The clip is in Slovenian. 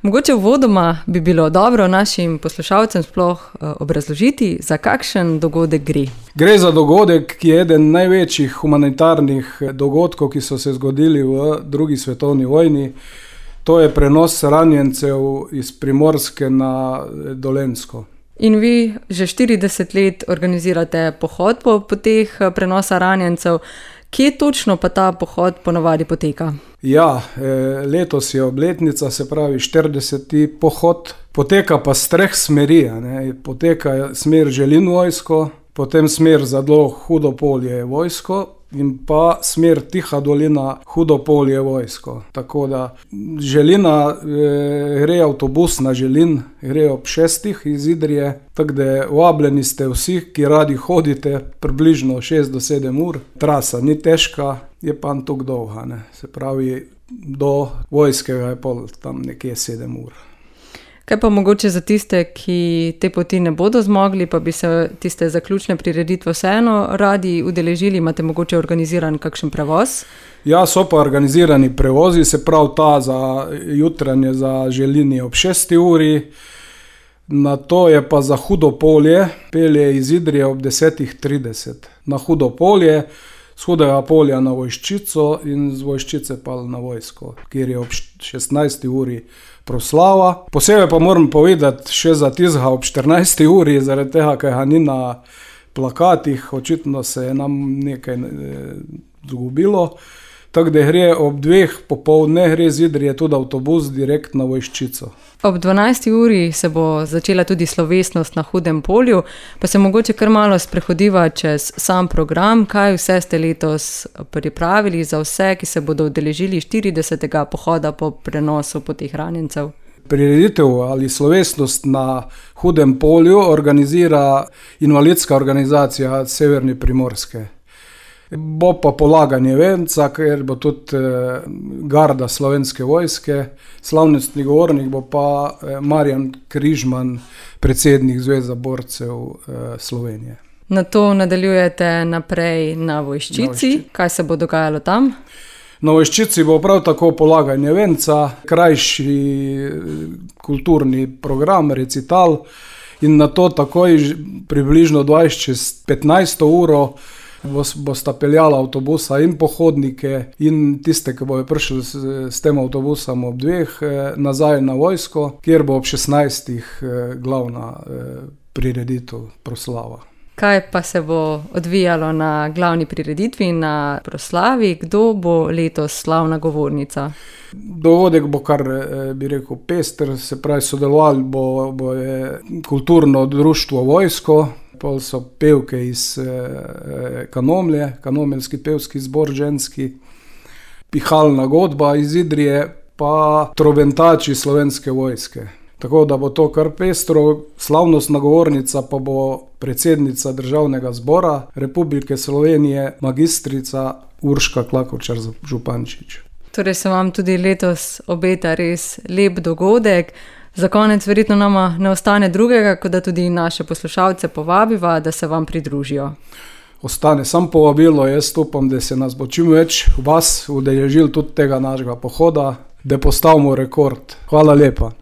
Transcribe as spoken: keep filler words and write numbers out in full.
Mogoče uvodoma bi bilo dobro našim poslušalcem sploh obrazložiti, za kakšen dogodek gre. Gre za dogodek, ki je eden največjih humanitarnih dogodkov, ki so se zgodili v drugi svetovni vojni. To je prenos ranjencev iz Primorske na Dolenjsko. In vi že štirideset let organizirate pohod po poteh prenosa ranjencev. Kje točno pa ta pohod ponavadi poteka? Ja, letos je obletnica, se pravi štirideseti pohod. Poteka pa s treh smeri. Ne. Poteka smer Želin vojsko, potem smer Zadlo Hudopolje vojsko in pa smer Tiha dolina Hudopolje vojsko. Tako da Želina eh, gre avtobus na Želin, gre ob šestih iz Idrije, tako da vabljeni ste vsi, ki radi hodite, približno šest do sedem ur. Trasa ni težka, je pa tako dolga, ne. Se pravi, do vojskega je pol tam nekje sedem ur. Kaj pa mogoče za tiste, ki te poti ne bodo zmogli, pa bi se tiste zaključne prireditve vseeno radi udeležili, imate mogoče organiziran kakšen prevoz? Ja, so pa organizirani prevozi, se pravi ta za jutranje za Želini ob šesti uri, na to je pa za Hudopolje, pelje iz Idrije ob desetih trideset. Na Hudopolje, z Hudega polja na Vojščico in z Vojščice pa na vojsko, kjer je ob šestnajsti uri proslava. Posebej pa moram povedati še za tistega ob štirinajsti uri, zaradi tega, kaj ga ni na plakatih, očitno se je nam nekaj zgubilo. Tako da gre ob dveh popoldne, gre z Idrije tudi avtobus direkt na Vojščico. Ob dvanajsti uri se bo začela tudi slovesnost na Hudem polju, pa se mogoče kar malo sprehodiva čez sam program, kaj vse ste letos pripravili za vse, ki se bodo udeležili štiridesetega pohoda po prenosu poteh ranjencev. Prireditev ali slovesnost na Hudem polju organizira invalidska organizacija Severni Primorske. Bo pa polaganje venca, ker bo tudi garda Slovenske vojske, slavnostni govornik bo pa Marjan Križman, predsednik Zveze borcev Slovenije. Na to nadaljujete naprej na Vojščici. Kaj se bo dogajalo tam? Na Vojščici bo prav tako polaganje venca, krajši kulturni program, recital in na to takoj približno dvajset čez petnajsto uro bosta peljala avtobusa in pohodnike in tiste, ki bojo prišli s, s tem avtobusom ob dveh nazaj na vojsko, kjer bo ob šestnajstih glavna prireditev, proslava. Kaj pa se bo odvijalo na glavni prireditvi, na proslavi? Kdo bo letos slavna govornica? Dogodek bo kar, bi rekel, pester, se pravi, sodelovali bo, bo je kulturno društvo vojsko, pol so pevke iz eh, Kanomlje, Kanomeljski pevski zbor ženski, pihalna godba iz Idrije, pa trobentači Slovenske vojske. Tako da bo to kar pestro, slavnostna govornica pa bo predsednica Državnega zbora Republike Slovenije, magistrica Urška Klakočar Župančič. Torej se vam tudi letos obeta res lep dogodek. Za konec verjetno nama ne ostane drugega, kot da tudi naše poslušalce povabiva, da se vam pridružijo. Ostane sam povabilo, jaz upam, da se nas bo čim več vas udeležil tudi tega našega pohoda, da postavimo rekord. Hvala lepa.